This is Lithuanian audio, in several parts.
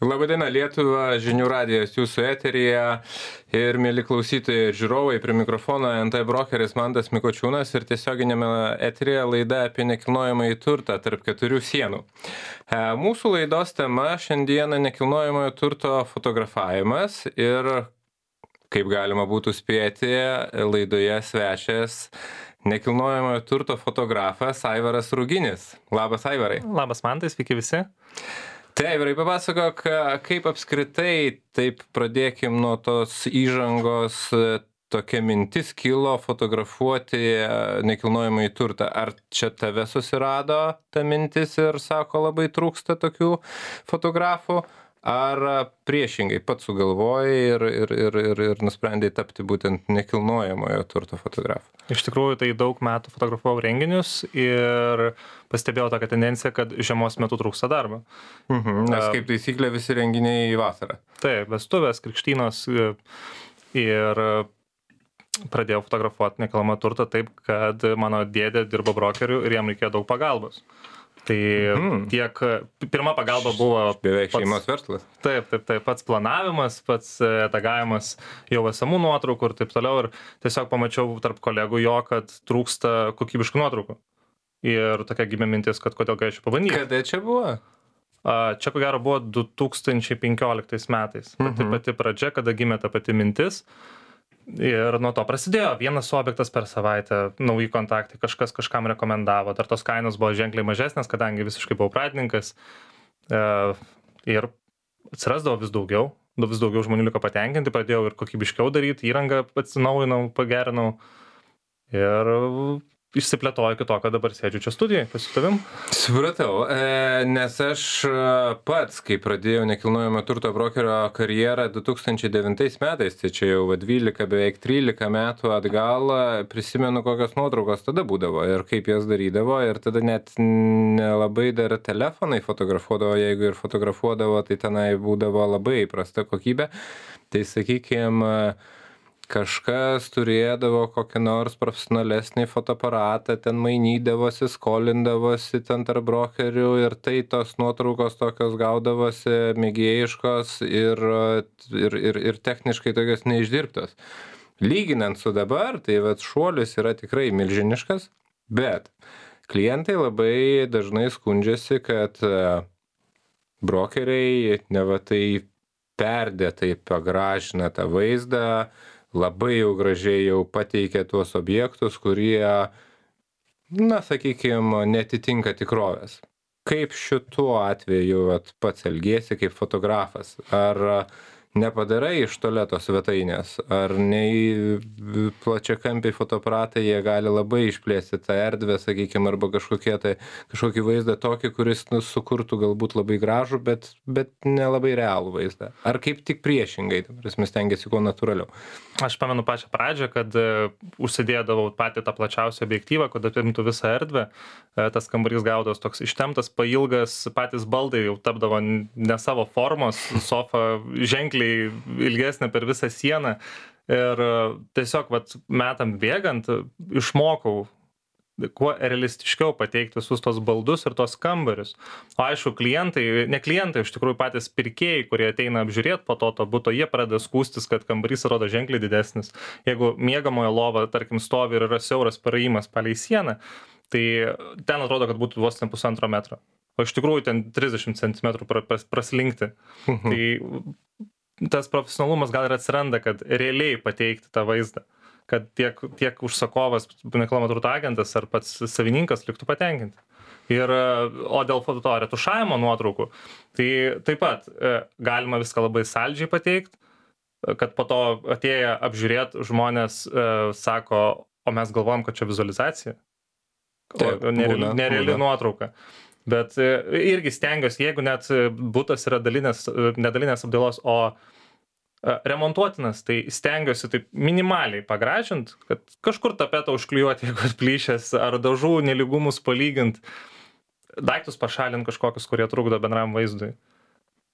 Labadiena Lietuva, žinių radijas jūsų eteryje ir mėly klausytojai ir žiūrovai, prie mikrofono NT brokeris Mantas Mikočiūnas ir tiesioginėme eteryje laida apie nekilnojamąjį turtą tarp keturių sienų. Mūsų laidos tema šiandieną nekilnojamojo turto fotografavimas ir, kaip galima būtų spėti, laidoje svečias nekilnojamojo turto fotografas Aivaras Ruginis. Labas, Aivarai. Labas, Mantai, sveiki visi. Tai, Aivarai, papasakok, kaip apskritai, taip pradėkim nuo tos įžangos, tokia mintis kilo fotografuoti nekilnojamąjį turtą. Ar čia tave susirado ta mintis ir sako, labai trūksta tokių fotografų? Ar priešingai pats sugalvojai ir nusprendai tapti būtent nekilnojamojo turto fotografu? Iš tikrųjų, tai daug metų fotografavau renginius ir pastebėjau tokią tendenciją, kad žiemos metu trūksta darbo. Nes kaip taisyklė visi renginiai į vasarą. Taip, vestuvės, krikštynos ir pradėjau fotografuoti nekilnojamą turtą taip, kad mano dėdė dirbo brokeriu ir jam reikėjo daug pagalbos. Tai tiek pirma pagalba buvo beveik šeimos verslas. Taip, pats planavimas, pats tagavimas jau esamų nuotraukų ir taip toliau. Ir tiesiog pamačiau tarp kolegų jo, kad trūksta kokybiškų nuotraukų. Ir tokia gimė mintis, kad kodėl galėčiau pabandyti. Kada čia buvo? Čia ko gero buvo 2015 metais. Pati pradžia, kada gimė ta pati mintis. Ir nuo to prasidėjo vienas objektas per savaitę, nauji kontaktai, kažkas kažkam rekomendavo, dar tos kainos buvo ženkliai mažesnės, kadangi visiškai buvau pradininkas ir atsirasdavo vis daugiau žmonių liko patenkinti, pradėjau ir kokybiškiau daryti, įrangą atsinaujinau, pagerinau ir išsiplėtoju iki to, kad dabar sėdžiu čia studijai, su tavim. Supratau, nes aš pats, kai pradėjau nekilnojamo turto brokerio karjerą 2009 metais, tai čia jau 12, beveik 13 metų atgal, prisimenu, kokios nuotraukos tada būdavo ir kaip jas darydavo ir tada net nelabai dar telefonai fotografuodavo, jeigu ir fotografuodavo, tai tenai būdavo labai prasta kokybė. Tai sakykime, kažkas turėdavo kokį nors profesionalesnį fotoaparatą, ten mainydavosi, skolindavosi ten tarp brokerių ir tai tos nuotraukos tokios gaudavosi mėgėjiškos ir techniškai tokios neišdirbtos. Lyginant su dabar, tai vat šuolis yra tikrai milžiniškas, bet klientai labai dažnai skundžiasi, kad brokeriai neva tai perdėtai pagražina tą vaizdą, labai jau gražiai jau pateikia tuos objektus, kurie, sakykime, netitinka tikrovės. Kaip šituo atveju pats elgiesi kaip fotografas? Ar nepadarai iš tualeto svetainės? Ar nei plačiakampiai fotoaparatai jie gali labai išplėsti tą erdvę, sakykime, arba kažkokį vaizdą tokį, kuris sukurtų galbūt labai gražų, bet nelabai realų vaizdą? Ar kaip tik priešingai, mes stengiasi kuo natūraliau? Aš pamenu pačią pradžią, kad užsidėdavau patį tą plačiausią objektyvą, kad apimtų visą erdvę. Tas kambarys gaudavos toks ištemptas, pailgas, patys baldai jau tapdavo ne savo formos, sofa ženkliai ilgesnė per visą sieną. Ir tiesiog metam bėgant išmokau kuo realistiškiau pateikti visus tos baldus ir tos kambarius. O aišku, ne klientai, iš tikrųjų patys pirkėjai, kurie ateina apžiūrėti po to buto, jie pradeda skųstis, kad kambarys atrodo ženkliai didesnis. Jeigu miegamojo lova, tarkim, stovi ir yra siauras praėjimas palei sieną, tai ten atrodo, kad būtų vos ne 1,5 metro. O iš tikrųjų ten 30 cm praslinkti. Tai tas profesionalumas gal ir atsiranda, kad realiai pateikti tą vaizdą. Kad tiek užsakovas, nekilnojamo turto agentas ar pats savininkas liktų patenkinti. O dėl to retušavimo nuotraukų, tai taip pat galima viską labai saldžiai pateikti, kad po to atėję apžiūrėti žmonės sako, o mes galvojam, kad čia vizualizacija, nereali nuotrauka. Bet irgi stengiuosi, jeigu net butas yra nedalinės apdailos, o remontuotinas, tai stengiuosi taip minimaliai pagražint, kad kažkur tapetą užklijuoti, jeigu atplyšęs, ar dažų nelygumus palygint, daiktus pašalint kažkokius, kurie trukdo bendram vaizdui.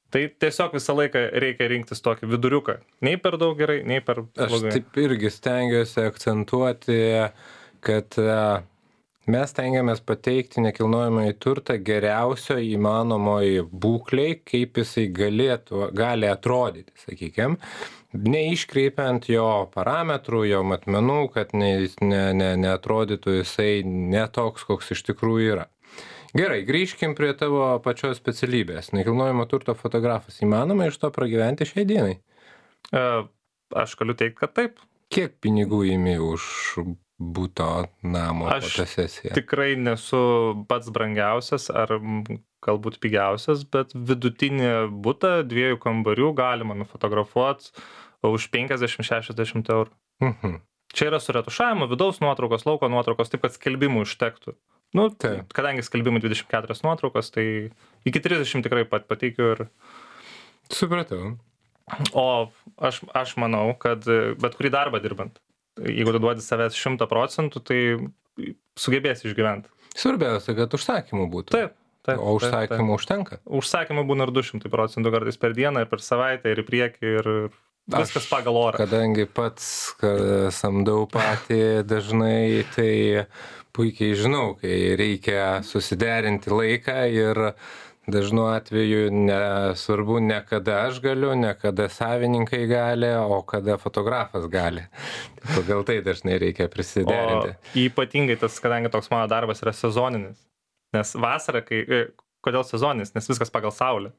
Tai tiesiog visą laiką reikia rinktis tokį viduriuką. Nei per daug gerai, nei per blogai. Aš taip irgi stengiuosi akcentuoti, kad mes stengiamės pateikti nekilnojamąjį turtą geriausio įmanomoj būklėj, kaip jisai gali atrodyti, sakykim, neiškreipiant jo parametrų, jo matmenų, kad neatrodytų jisai ne toks, koks iš tikrųjų yra. Gerai, grįžkim prie tavo pačios specialybės. Nekilnojamo turto fotografas. Įmanoma iš to pragyventi šiai dienai? Aš galiu teikti, kad taip. Kiek pinigų imi už buto namo fotosesiją? Tikrai nesu pats brangiausias ar galbūt pigiausias, bet vidutinį butą 2 kambarių galima nufotografuoti už 50-60 eurų. Čia yra su retušavimu, vidaus nuotraukos, lauko nuotraukos, taip kad skelbimų užtektų. Kadangi skelbimų 24 nuotraukos, tai iki 30 tikrai pateikiu ir... Supratau. O aš manau, kad bet kurį darbą dirbant, jeigu tu duodi savęs 100%, tai sugebės išgyventi. Svarbiausia, kad užsakymų būtų. Taip. O užsakymų užtenka? Užsakymų būna ir 200% kartais per dieną, ir per savaitę, ir į priekį, ir viskas pagal orą. Kadangi pats samdau patį dažnai, tai puikiai žinau, kai reikia susiderinti laiką ir dažnu atveju nesvarbu ne kada aš galiu, ne kada savininkai gali, o kada fotografas gali. Pagal tai dažnai reikia prisiderinti. O ypatingai tas, kadangi toks mano darbas yra sezoninis. Nes vasarą, kodėl sezoninis? Nes viskas pagal saulę.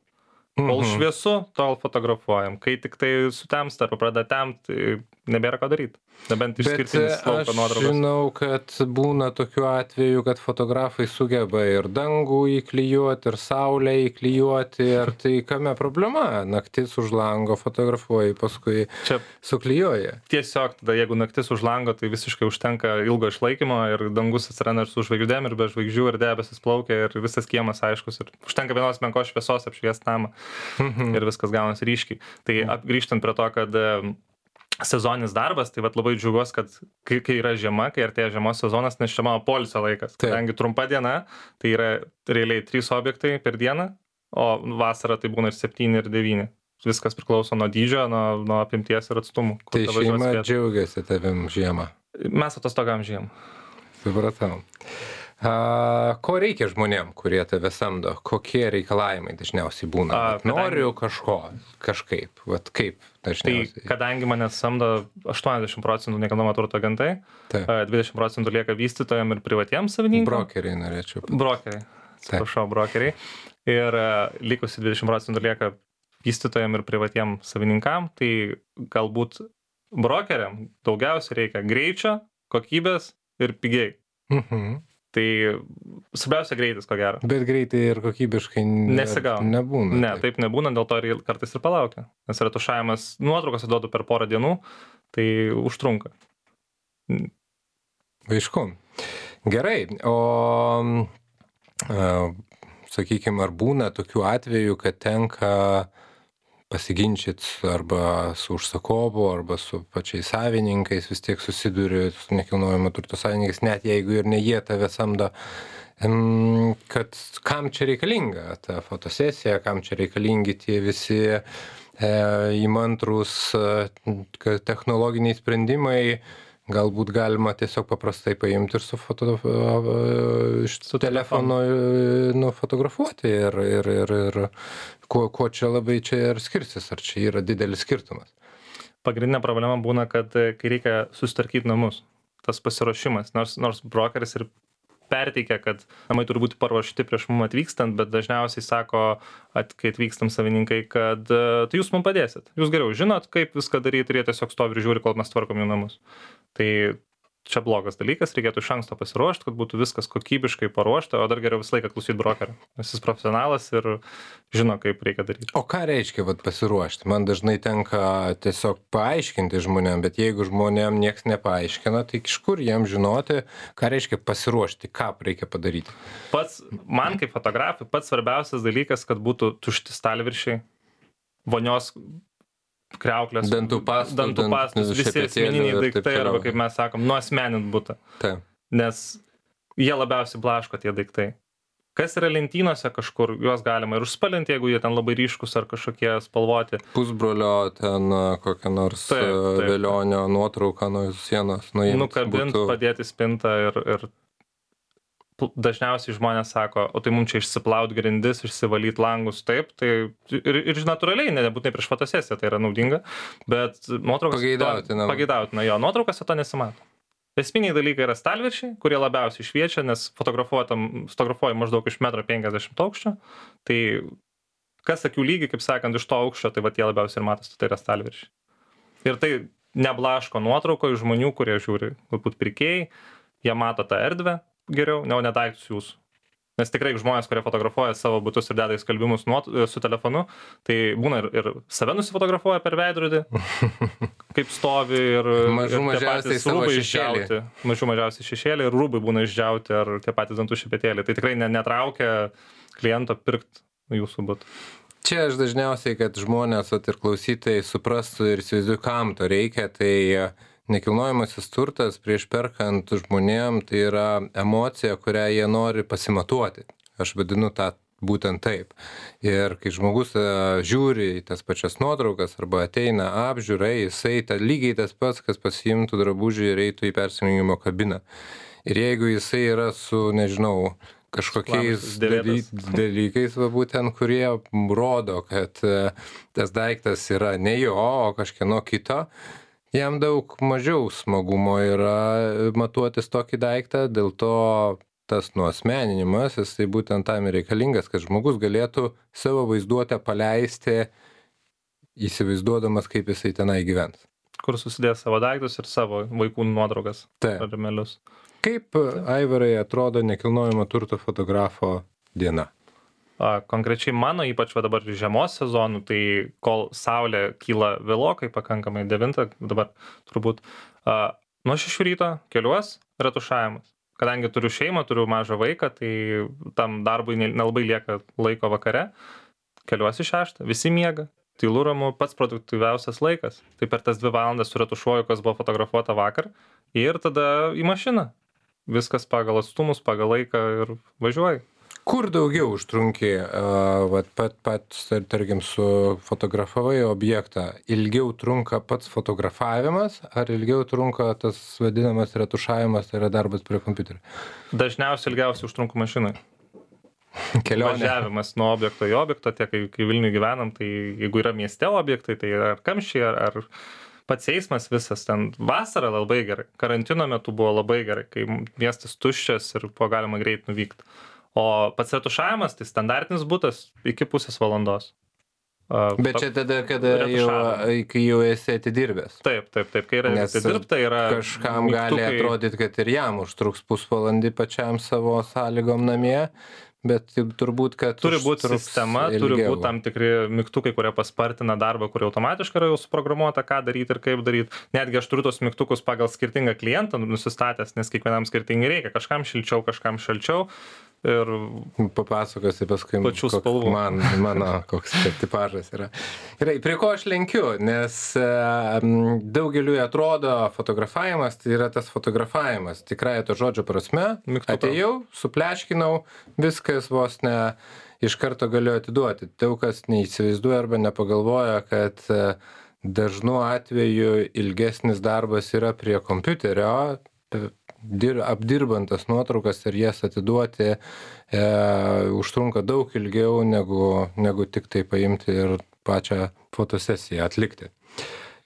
Kol šviesu, tol fotografuojam. Kai tik tai sutemsta arba pradeda temti, nebėra ką daryti. Nebent išskirtinis lauko nuotraukos. Bet aš žinau, kad būna tokių atvejų, kad fotografai sugeba ir dangų įklijuoti, ir saulę įklijuoti. Ir tai kame problema? Naktis už lango fotografuoji, paskui čia suklijuoji. Tiesiog tada, jeigu naktis už lango, tai visiškai užtenka ilgo išlaikymo ir dangus atsiranda ir su žvaigždėm, ir be žvaigždžių, ir debesis plaukia, ir visas kiemas aiškus. Ir užtenka vienos menkos šviesos apšviest namą. Ir viskas gaunasi ryškiai. Tai grįžtant prie to, kad sezoninis darbas, tai labai džiaugiuosi, kad kai yra žiema, kai artėja žiemos sezonas, nes čia mano poilsio laikas. Kadangi trumpa diena, tai yra realiai 3 objektai per dieną, o vasarą tai būna ir 7 ir 9. Viskas priklauso nuo dydžio, nuo apimties ir atstumų. Tai šeima džiaugiasi tavim žiemą? Mes atostogam žiemą. Supratau. Ko reikia žmonėm, kurie tave samdo? Kokie reikalavimai dažniausiai būna? Noriu kažkaip. Kaip dažniausiai? Tai kadangi mane samdo 80% nekilnojamo turto agentai, 20% lieka vystytojam ir privatiems savininkam. Brokeriai norėčiau. Brokeriai. Atsiprašau, brokeriai. Ir likusi 20% lieka vystytojam ir privatiem savininkam. Tai galbūt brokeriam daugiausiai reikia greičio, kokybės ir pigiai. Tai svarbiausia greitis, ko gero. Bet greitai ir kokybiškai nebūna. Ne, taip nebūna, dėl to ir kartais ir palaukia. Nes retušavimas nuotraukas duodu per porą dienų, tai užtrunka. Aišku. Gerai, o sakykime, ar būna tokių atvejų, kad tenka pasiginčyti arba su užsakovu, arba su pačiais savininkais, vis tiek susiduri su nekilnojamo turto savininkais, net jeigu ir ne jie tave samdo, kad kam čia reikalinga ta fotosesija, kam čia reikalingi tie visi įmantrūs technologiniai sprendimai, galbūt galima tiesiog paprastai paimti ir iš telefono nufotografuoti ir kuo čia labai čia ir skirsis, ar čia yra didelis skirtumas? Pagrindinė problema būna, kad kai reikia susitvarkyti namus, tas pasiruošimas, nors brokeris ir perteikia, kad namai turi būti paruošti prieš mum atvykstant, bet dažniausiai sako, kai atvykstam savininkai, kad tai jūs mum padėsit. Jūs geriau žinot, kaip viską daryti ir jie tiesiog stovi ir žiūri, kol mes tvarkom jų namus. Tai čia blogas dalykas, reikėtų iš anksto pasiruošti, kad būtų viskas kokybiškai paruošta, o dar geriau visą laiką klausyti brokerio. Nes jis profesionalas ir žino, kaip reikia daryti. O ką reiškia pasiruošti? Man dažnai tenka tiesiog paaiškinti žmonėm, bet jeigu žmonėm nieks nepaaiškina, tai iš kur jiem žinoti, ką reiškia pasiruošti, ką reikia padaryti? Man kaip fotografui pats svarbiausias dalykas, kad būtų tušti stalviršiai, vonios kriauklės, dantų pastos, visi asmeniniai daiktai, arba kaip mes sakom, nuasmenint butą. Nes jie labiausiai blaško tie daiktai. Kas yra lentynose kažkur, juos galima ir užspalinti, jeigu jie ten labai ryškus ar kažkokie spalvoti. Pusbrolio ten kokią nors velionio nuotrauką nuo sienos. Nukabint, padėti spintą ir dažniausiai žmonės sako, o tai mums čia išsiplaut grindis, išsivalyt langus, taip, tai ir natūraliai, nebūtinai prieš fotosesiją tai yra naudinga, bet nuotraukas pageidautina, jo, nuotraukose to nesimato. Esminiai dalykai yra stalviršiai, kurie labiausiai šviečia, nes fotografuoji maždaug iš 1,50 m aukščio, tai kas akių lygiai, kaip sakant, iš to aukščio, tai va tie labiausiai ir matosi, tai yra stalviršiai. Ir tai neblaško nuotrauko iš žmonių, kurie žiūri, galbūt pirkėjai, jie mato tą erdvę geriau, ne daiktus jūsų. Nes tikrai žmonės, kurie fotografuoja savo butus ir deda į skalbimus su telefonu, tai būna ir save nusifotografuoja per veidrodį, kaip stovi ir mažiausiai savo šešėlį. Mažiausiai šešėlį ir rūbai būna išdžiauti ar tie patys dantų šepetėliai. Tai tikrai netraukia kliento pirkti jūsų butą. Čia aš dažniausiai, kad žmonės ir klausytojai suprastų ir įsivaizduoju, kam to reikia, tai nekilnojamasis turtas prieš perkant žmonėm tai yra emocija, kurią jie nori pasimatuoti. Aš vadinu tą būtent taip. Ir kai žmogus žiūri į tas pačias nuotraukas arba ateina apžiūrai, jisai lygiai tas pats, kas pasiimtų drabužį ir eitų į persirengimo kabiną. Ir jeigu jisai yra su, nežinau, kažkokiais dalykais, būtent, kurie rodo, kad tas daiktas yra ne jo, o kažkieno kito, jam daug mažiau smagumo yra matuotis tokį daiktą, dėl to tas nuasmeninimas, jis tai būtent tam ir reikalingas, kad žmogus galėtų savo vaizduotę paleisti, įsivaizduodamas, kaip jisai tenai gyvens. Kur susidės savo daiktus ir savo vaikų nuotraukas. Ar melius. Kaip, Aivarai, atrodo nekilnojamo turto fotografo diena? Konkrečiai mano, ypač dabar žiemos sezonų, tai kol saulė kyla vėlokai, pakankamai 9, dabar turbūt nuo 6 ryto keliuos retušavimas. Kadangi turiu šeimą, turiu mažą vaiką, tai tam darbui nelabai lieka laiko vakare, keliuosi 6, visi miega, tylu ramu, pats produktyviausias laikas. Tai per tas 2 valandas suretušuoju, kas buvo fotografuota vakar ir tada į mašiną. Viskas pagal atstumus, pagal laiką ir važiuoju. Kur daugiau užtrunki, pats, tarkim, sufotografavai objektą, ilgiau trunka pats fotografavimas, ar ilgiau trunka tas vadinamas retušavimas, tai yra darbas prie kompiuterio? Dažniausiai ilgiausiai užtrunka mašinai. Kelionė. Važiavimas nuo objekto į objektą, tiek kai Vilniuje gyvenam, tai jeigu yra mieste objektai, tai ar kamščiai, ar pats eismas visas ten vasarą labai gerai. Karantino metu buvo labai gerai, kai miestas tuščias ir buvo galima greit nuvykti. O pats retušavimas, tai standartinis butas iki pusės valandos. Bet čia tada, kai jau esi atidirbęs. Taip, kai yra atidirbta, yra kažkam gali atrodyti, kad ir jam užtruks pusvalandį pačiam savo sąlygom namie, bet turbūt, kad turi būti sistema, turi būti tam tikri mygtukai, kurie paspartina darbą, kurie automatiškai yra jau suprogramuota, ką daryti ir kaip daryti. Netgi aš turiu tos mygtukus pagal skirtingą klientą nusistatęs, nes kiekvienam skirtingai reikia. Kažkam šilčiau, kažkam šalčiau. Ir papasakosi paskui, mano koks tipažas yra. Gerai, prie ko aš lenkiu, nes daugeliui atrodo fotografavimas, tai yra tas fotografavimas, tikrąja to žodžio prasme, atėjau, supleškinau, viskas vos ne iš karto galiu atiduoti. Daug kas neįsivaizduoja arba nepagalvoja, kad dažnu atveju ilgesnis darbas yra prie kompiuterio, apdirbant tas nuotraukas ir jas atiduoti užtrunka daug ilgiau negu tik tai paimti ir pačią fotosesiją atlikti.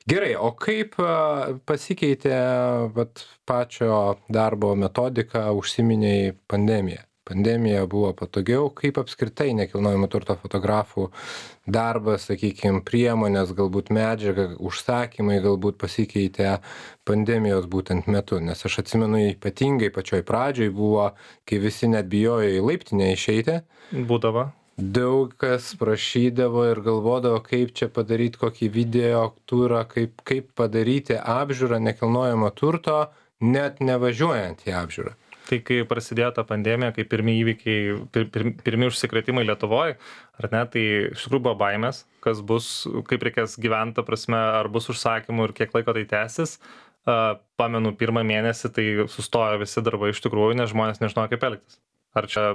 Gerai, o kaip pasikeitė pačio darbo metodika, užsiminėjai pandemiją? Pandemija buvo patogiau, kaip apskritai nekilnojamo turto fotografų darbas, sakykime, priemonės, galbūt medžiaga, užsakymai galbūt pasikeitė pandemijos būtent metu, nes aš atsimenu ypatingai pačioj pradžioj buvo, kai visi net bijojo į laiptinę išeiti. Būdavo. Daug kas prašydavo ir galvodavo, kaip čia padaryti kokį video turą, kaip padaryti apžiūrą nekilnojamo turto, net nevažiuojant į apžiūrą. Tai kai prasidėjo ta pandemija, kai pirmi įvykiai, pirmi užsikrėtimai Lietuvoje, ar ne, tai iš tikrųjų buvo baimės, kas bus, kaip reikės gyventi, ta prasme, ar bus užsakymų ir kiek laiko tai tęsis. Pamenu, 1 mėnesį tai sustojo visi darbai iš tikrųjų, nes žmonės nežinojo, kaip elgtis. Ar čia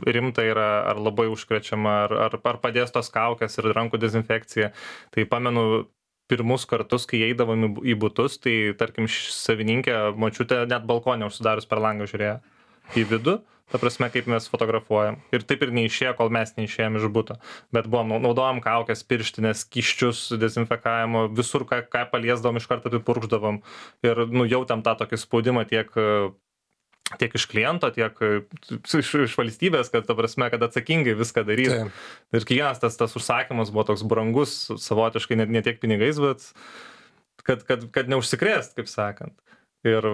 rimta yra, ar labai užkrečiama, ar padės tos kaukės ir rankų dezinfekcija. Tai pamenu, pirmus kartus, kai eidavom į butus, tai tarkim savininkė, močiutė net balkonė užsidarius per langą žiūrėjo į vidų, ta prasme, kaip mes fotografuojam. Ir taip ir neišėjo, kol mes neišėjom iš buto. Bet naudojom kaukės, pirštinės, skysčius, dezinfekavimo, visur, ką paliesdavom, iš karto apipurkšdavom. Ir jautėm tą tokį spaudimą tiek iš kliento, tiek iš valstybės, kad, ta prasme, kad atsakingai viską daryti. Ir kiekvienas tas užsakymas buvo toks brangus, savotiškai ne tiek pinigais, bet kad neužsikrėst, kaip sakant. Ir,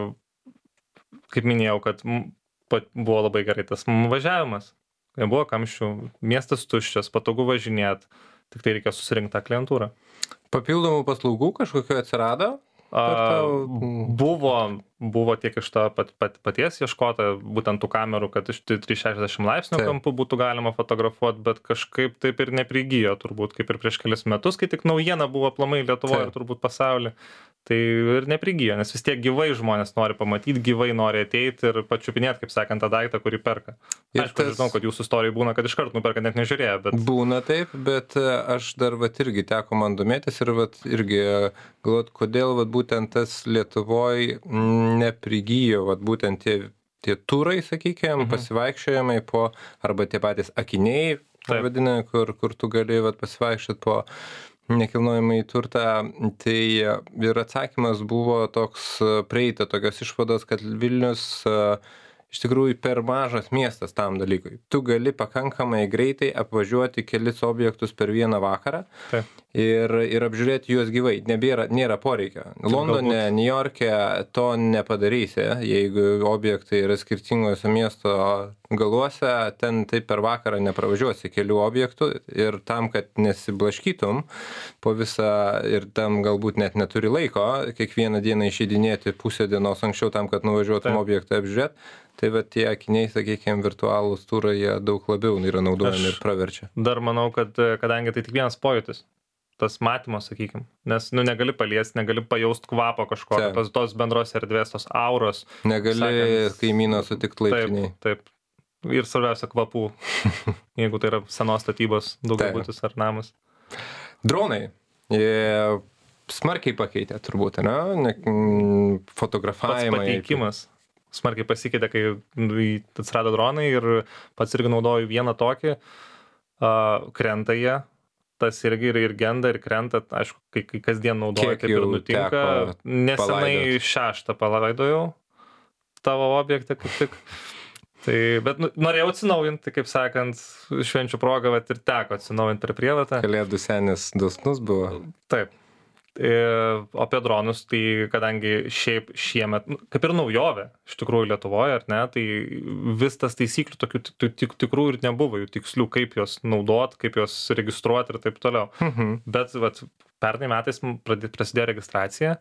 kaip minėjau, kad buvo labai gerai tas važiavimas. Nebuvo kamščių, miestas tuščias, patogu važinėt, tik tai reikia susirinkti tą klientūrą. Papildomų paslaugų kažkokio atsirado? Buvo tiek iš to paties ieškota, būtent tų kamerų, kad iš 360 laipsnių kampų būtų galima fotografuoti, bet kažkaip taip ir neprigijo, turbūt, kaip ir prieš kelius metus, kai tik naujiena buvo aplamai Lietuvoje ir turbūt pasaulyje. Tai ir neprigijo, nes vis tiek gyvai žmonės nori pamatyti, gyvai nori ateiti ir pačiupinėti, kaip sakant, tą daiktą, kurį perka. Aišku, žinau, kad jūsų istorijai būna, kad iš karto nuperka net nežiūrėjo, bet... Būna taip, bet aš dar irgi teko man domėtis ir irgi galvot, kodėl būtent tas Lietuvoje neprigijo, būtent tie turai, sakykime, pasivaikščiojimai po, arba tie patys akiniai, vadinami, kur tu gali pasivaikščioti po nekilnojamąjį turtą, tai ir atsakymas buvo toks, prieita tokios išvados, kad Vilnius iš tikrųjų per mažas miestas tam dalykui. Tu gali pakankamai greitai apvažiuoti kelis objektus per vieną vakarą ir apžiūrėti juos gyvai. Nėra poreikio. Londone, Niujorke to nepadarysi, jeigu objektai yra skirtingose miesto galuose, ten taip per vakarą nepravažiuosi kelių objektų ir tam, kad nesiblaškytum po visą ir tam galbūt net neturi laiko kiekvieną dieną išeidinėti pusę dienos anksčiau tam, kad nuvažiuotum objektą apžiūrėti. Tai tie akiniai, sakykime, virtualūs turai, jie daug labiau yra naudojami ir praverčia. Dar manau, kad kadangi tai tik vienas pojūtis, tas matymas, sakykime, nes negali paliesti, negali pajausti kvapo kažkokio, tos bendros erdvės, tos auros. Negali kaimyno sutikti laiptiniai. Taip. Ir svarbiausia kvapų, jeigu tai yra senos statybos daugiabutis ar namas. Dronai. Smarkiai pakeitė turbūt, ne? Fotografavimai. Pats pateikimas smarkiai pasikeitė, kai atsirado dronai ir pats irgi naudoju vieną tokį, krenta jie, tas irgi ir genda ir krenta, aišku, kai kasdien naudoju, taip ir nutinka. Nesenai 6 palaidojau tavo objektą kaip tik. Tai, bet norėjau atsinaujinti, kaip sakant, švenčių progą, ir teko atsinaujinti per prievartą. Kalėdų senis dosnus buvo. Taip. O apie dronus, tai kadangi šiaip šiemet, kaip ir naujovė, iš tikrųjų Lietuvoje, ar ne, tai vis tas taisyklių tokių tikrų ir nebuvo, jų tikslių, kaip jos naudot, kaip jos registruoti ir taip toliau. Bet pernai metais prasidėjo registracija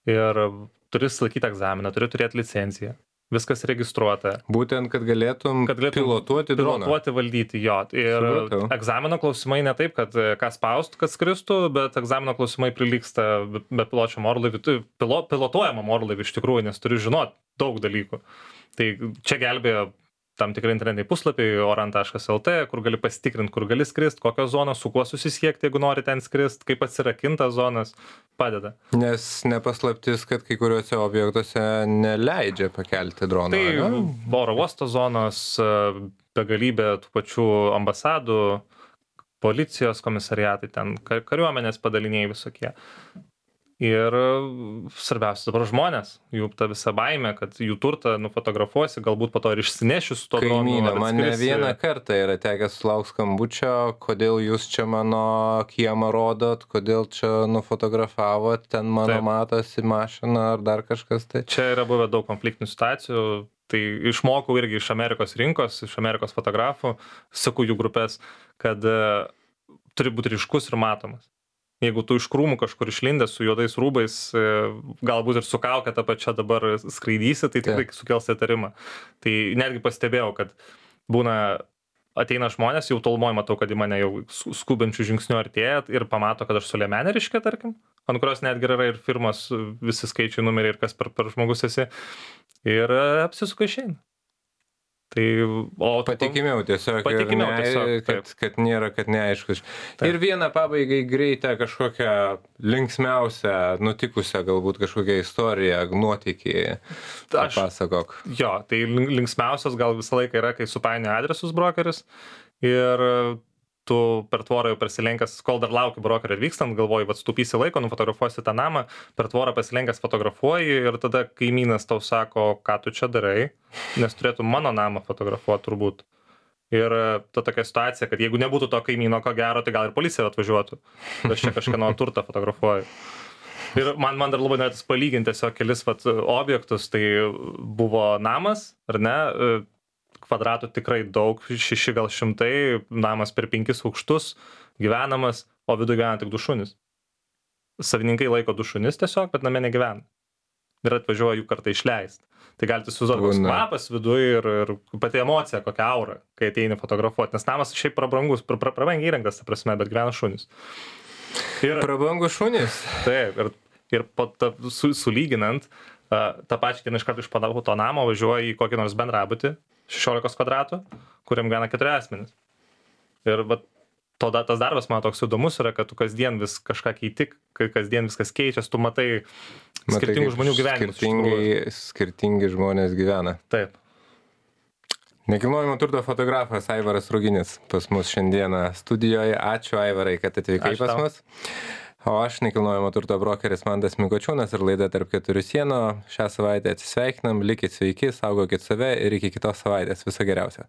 ir turi laikyti egzaminą, turi turėti licenciją. Viskas registruota. Būtent, kad galėtum pilotuoti droną. Pilotuoti, valdyti, jo. Ir egzamino klausimai ne taip, kad ką spaust, kad skristų, bet egzamino klausimai prilygsta bepiločiam orlaiviui, pilotuojamam orlaiviui iš tikrųjų, nes turi žinoti daug dalykų. Tai čia gelbėjo tam tikrai internetiniai puslapiai, oran.lt, kur gali pasitikrinti, kur gali skrist, kokios zonos, su kuo susisiekti, jeigu nori ten skrist, kaip atsirakintas zonas, padeda. Nes nepaslaptis, kad kai kuriuose objektuose neleidžia pakelti droną. Tai oro uosto zonos, begalybė tų pačių ambasadų, policijos komisariatai, ten kariuomenės padaliniai visokie. Ir svarbiausia dabar žmonės, jų ta visa baimė, kad jų turtą nufotografuosi, galbūt po to ir išsinešiu su to dronu. Kaimynė, man ne vieną kartą yra tekęs sulaukti skambučio, kodėl jūs čia mano kiemą rodot, kodėl čia nufotografavot, ten mano matosi mašina ar dar kažkas tai. Čia yra buvę daug konfliktinių situacijų, tai išmokau irgi iš Amerikos rinkos, iš Amerikos fotografų, seku jų grupės, kad turi būti ryškus ir matomas. Jeigu tu iš krūmų kažkur išlindęs su juodais rūbais, galbūt ir su kauke tą pačią dabar skraidysi, tai tikrai sukels įtarimą. Tai netgi pastebėjau, kad būna ateina žmonės, jau tolumoj matau, kad į mane jau skubančių žingsnių artėja ir pamato, kad aš su liemenė ryškia, tarkim, ant kurios netgi yra ir firmos visi skaičiai, numeriai ir kas per žmogus esi. Ir apsisuka išeina. Tai, Patikimiau tiesiog, Patikimiau tiesiog, kad nėra, kad neaiškus. Ir vieną pabaigai greitą kažkokią linksmiausią, nutikusią galbūt kažkokią istoriją, nuotykį papasakok. Jo, tai linksmiausias gal visą laiką yra, kai supainioja adresus brokeris ir tu per tvorą jau persilenkęs, kol dar lauki brokerio atvykstant, galvoji, vat stupysi laiko, nufotografuosi tą namą, per tvorą pasilenkęs fotografuoji ir tada kaimynas tau sako, ką tu čia darai, nes turėtų mano namą fotografuoti turbūt. Ir ta tokia situacija, kad jeigu nebūtų to kaimyno, ko gero, tai gal ir policija atvažiuotų. Aš čia kažkieno turtą fotografuoju. Ir man dar labai norėtis palyginti tiesiog kelis objektus, tai buvo namas, ar ne, kvadratų tikrai daug, 6 gal 100, namas per 5 aukštus, gyvenamas, o viduje gyvena tik 2 šunys. Savininkai laiko 2 šunis tiesiog, bet name negyvena. Ir atvažiuoja jų kartą išleisti. Tai galite įsivaizduoti, koks kvapas viduje ir pati emocija, kokia aura, kai ateini fotografuoti. Nes namas šiaip prabrangus, prabangiai įrengtas, ta prasme, bet gyvena šunys. Prabangus šunys? Taip, ir sulyginant, tą pačią dieną iš karto iš to namo važiuoja į kokį nors bendrabutį, 16 kvadratų, kuriam gyvena 4 asmenys. Ir tas darbas man toks įdomus yra, kad tu kasdien vis kažką keiti, kasdien viskas keičiasi, tu matai skirtingų žmonių gyvenimus. Skirtingi žmonės gyvena. Taip. Nekilnojamo turto fotografas Aivaras Ruginis pas mus šiandieną studijoje. Ačiū, Aivarai, kad atvykai pas mus. O aš nekilnojamo turto brokeris Mantas Mikočiūnas ir laida Tarp keturių sienų. Šią savaitę atsisveikinam, likit sveiki, saugokit save ir iki kitos savaitės. Viso geriausio.